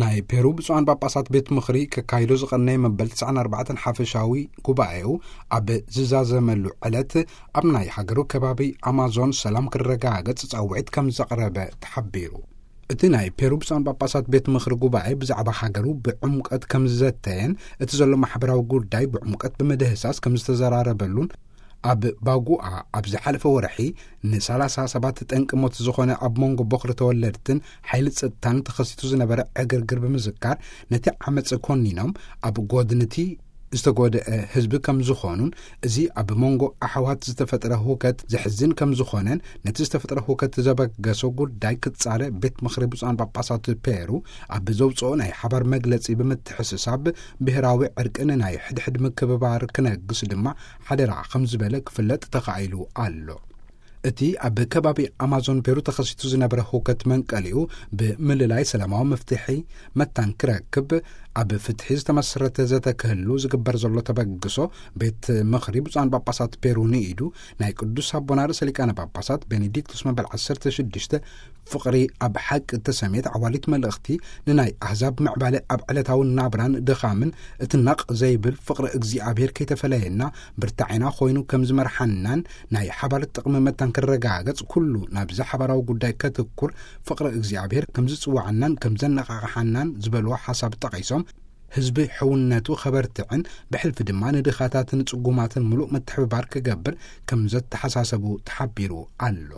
ናይ ፔሩ ብፁዓን ጳጳሳት ቤት ምኽሪ ከካይዶ ዝቐነየ መበል ትስዓን ኣርባዕተን ሓፈሻዊ ጉባኤኡ ኣብ ዝዛዘመሉ ዕለት፣ ኣብ ናይ ሃገሩ ከባቢ ኣማዞን ሰላም ክረጋገጽ ጻውዒት ከም ዘቕረበ ተሓቢሩ። እቲ ናይ ፔሩ ብፁዓን ጳጳሳት ቤት ምኽሪ ጉባኤ ብዛዕባ ሃገሩ ብዕምቀት ከም ዝዘተየን፣ እቲ ዘሎ ማሕበራዊ ጉዳይ ብዕምቀት ብመደህሳስ ከም ዝተዘራረበሉን፣ ኣብ ባጉኣ ኣብ ዝሓለፈ ወርሒ ንሰላሳ ሰባት ጠንቂ ሞት ዝኾነ ኣብ መንጎ ቦኽሪ ተወለድትን ሓይሊ ጸጥታን ተኸሲቱ ዝነበረ ዕግርግር ብምዝካር፣ ነቲ ዓመጽ ኮኒኖም ኣብ ጎድንቲ ዝተጎድአ ህዝቢ ከም ዝኾኑን፣ እዚ ኣብ መንጎ ኣሕዋት ዝተፈጥረ ህውከት ዘሕዝን ከም ዝኾነን፣ ነቲ ዝተፈጥረ ህውከት ዘበገሶ ጉዳይ ክጻረ ቤት ምኽሪ ብፁዓን ጳጳሳት ፔሩ ኣብ ዘውፅኦ ናይ ሓባር መግለጺ ብምትሕስሳብ፣ ብሔራዊ ዕርቂ ንናይ ሕድሕድ ምክብባር ክነግስ ድማ ሓደራ ከም ዝበለ ክፍለጥ ተኻኢሉ ኣሎ። እቲ ኣብ ከባቢ ኣማዞን ፔሩ ተኸሲቱ ዝነበረ ህውከት መንቀሊኡ ብምልላይ ሰላማዊ መፍትሒ መታን ክረክብ፣ ኣብ ፍትሒ ዝተመስረተ ዘተ ክህሉ ዝግበር ዘሎ ተበግሶ፣ ቤት ምኽሪ ብፁዓን ጳጳሳት ፔሩ ንኢዱ፣ ናይ ቅዱስ ኣቦና ርእሰ ሊቃነ ጳጳሳት ቤኔዲክቶስ መበል ዓሰርተ ሽዱሽተ ፍቕሪ ኣብ ሓቂ እተሰምየት ዓዋሊት መልእኽቲ፣ ንናይ ኣህዛብ ምዕባለ ኣብ ዕለታዊ ናብራን ድኻምን እትናቕ ዘይብል ፍቕሪ እግዚኣብሔር ከይተፈለየና ብርታዕና ኮይኑ ከም ዝመርሓናን፣ ናይ ሓባር ጥቕሚ መታን ክረጋገጽ ኩሉ ናብዚ ሓባራዊ ጉዳይ ከትኩር ፍቕሪ እግዚኣብሔር ከም ዝጽውዓናን ከም ዘነቓቕሓናን ዝበልዎ ሓሳብ ጠቒሶም፣ ህዝቢ ሕውነቱ ከበርትዕን ብሕልፊ ድማ ንድኻታትን ጽጉማትን ምሉእ ምትሕብባር ክገብር ከም ዘተሓሳሰቡ ተሓቢሩ ኣሎ።